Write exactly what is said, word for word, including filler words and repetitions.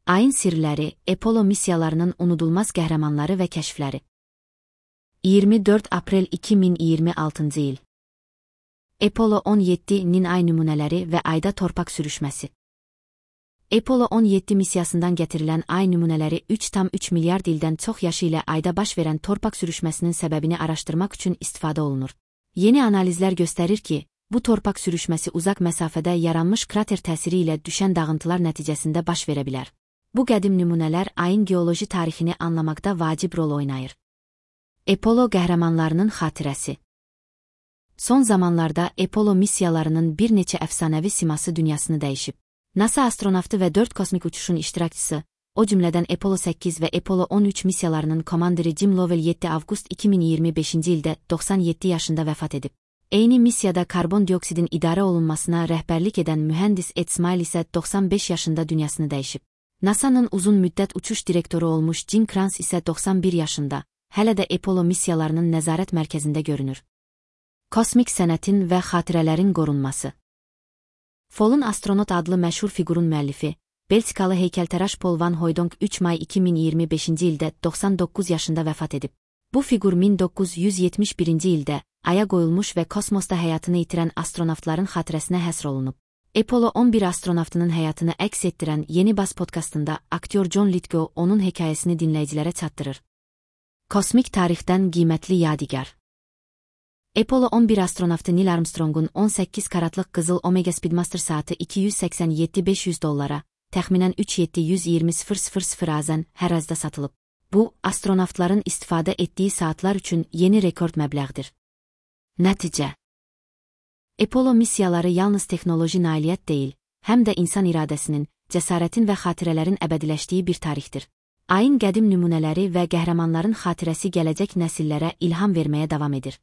Ayın sirləri, Apollo missiyalarının unudulmaz qəhrəmanları və kəşfləri. iyirmi dörd aprel iki min iyirmi altıncı il. Apollo on yeddinin ay nümunələri və ayda torpaq sürüşməsi. Apollo on yeddi missiyasından gətirilən ay nümunələri üç tam üç milyard ildən çox yaşı ilə ayda baş verən torpaq sürüşməsinin səbəbini araşdırmaq üçün istifadə olunur. Yeni analizlər göstərir ki, bu torpaq sürüşməsi uzaq məsafədə yaranmış krater təsiri ilə düşən dağıntılar nəticəsində baş verə bilər. Bu qədim nümunələr ayın geoloji tarixini anlamaqda vacib rol oynayır. Apollo qəhrəmanlarının xatirəsi. Son zamanlarda Apollo missiyalarının bir neçə əfsanəvi siması dünyasını dəyişib. NASA astronavtı və dörd kosmik uçuşun iştirakçısı, o cümlədən Apollo səkkiz və Apollo on üç missiyalarının komandiri Jim Lovell yeddi avqust iki min iyirmi beşinci ildə doxsan yeddi yaşında vəfat edib. Eyni missiyada karbon dioksidin idarə olunmasına rəhbərlik edən mühəndis Ed Smile isə doxsan beş yaşında dünyasını dəyişib. NASA'nın uzun müddət uçuş direktoru olmuş Gene Kranz isə doxsan bir yaşında, hələ də Apollo missiyalarının nəzarət mərkəzində görünür. Kosmik sənətin və xatirələrin qorunması. Folun Astronot adlı məşhur fiqurun müəllifi, Belçikalı heykəltəraş Paul Van Hooydonk üç may iki min iyirmi beşinci ildə doxsan doqquz yaşında vəfat edib. Bu fiqur min doqquz yüz yetmiş birinci ildə Aya qoyulmuş və kosmosda həyatını itirən astronavtların xatirəsinə həsr olunub. Apollo on bir astronavtının həyatını əks etdirən Yeni Bas podkastında aktyor John Lithgow onun hekayəsini dinləyicilərə çatdırır. Kosmik tarixdən qiymətli yadigar. Apollo on bir astronavtı Neil Armstrongun on səkkiz karatlıq qızıl Omega Speedmaster saatı iki yüz səksən yeddi min beş yüz dollara, təxminən üç min yeddi yüz iyirmi min azən hər azda satılıb. Bu, astronavtların istifadə etdiyi saatlar üçün yeni rekord məbləğdir. Nəticə. Apollo missiyaları yalnız texnoloji nailiyyət deyil, həm də insan iradəsinin, cəsarətin və xatirələrin əbədiləşdiyi bir tarixdir. Ayın qədim nümunələri və qəhrəmanların xatirəsi gələcək nəsillərə ilham verməyə davam edir.